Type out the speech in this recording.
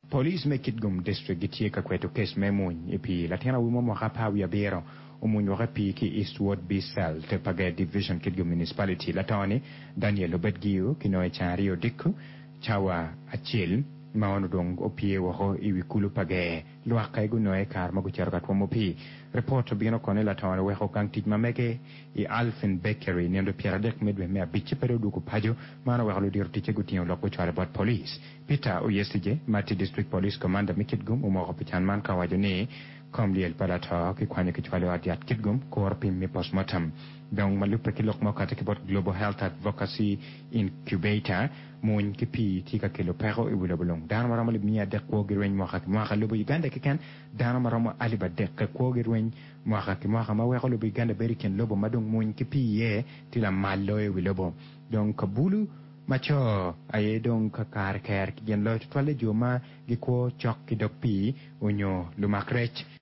Police me Kitgum District gitye ka kweto kes me mwony i pii. Latin awobi mo mwaka apar wiye abiro omwony woko i pii ki i East Ward B-Cell, Pager Division, Kitgum Municipality. Lato-ni, Daniel Obed-Giu, kinongo i ceng aryo odiko cawa acel ma onongo dong opye woko i wi kulu Pager. Lwak aye gunonge i kare ma gucito ka twomo pii. Ripot obino kono ni lato-ni oweko gang tic ma mege i Alphen Bakery nino 30 me dwe me abic ci pe dong odwogo paco. Man oweko ludito ticce gutingo lok gucwalo bot police. Peter Oyesigye, ma tye District Police Commander me Kitgum omoko pi can man ka owaco ni kom lyel pa lato kikwanyo kicwalo i ot yat Kitgum kuro pim me postmortem. Dong ma lubbe ki lok ma okati ki bot Global Health Advocacy Incubator, Mwony ki pii tye ka kelo peko i wi lobo lung. Dano ma romo alip miya adek kwogi rweny mwaka ki mwaka. Lobo Uganda keken, dano ma romo alip adek kwogi rweny mwaka ki mwaka ma weko lobo Uganda bedo i kin lobo ma dong mwony ki pii iye tye lamal loyo i wi lobo. Dong kabulu ma co aye dong kakare ker ki gin loyo tutwalle jo ma gikwo cok ki dog pii onyo lumak rec.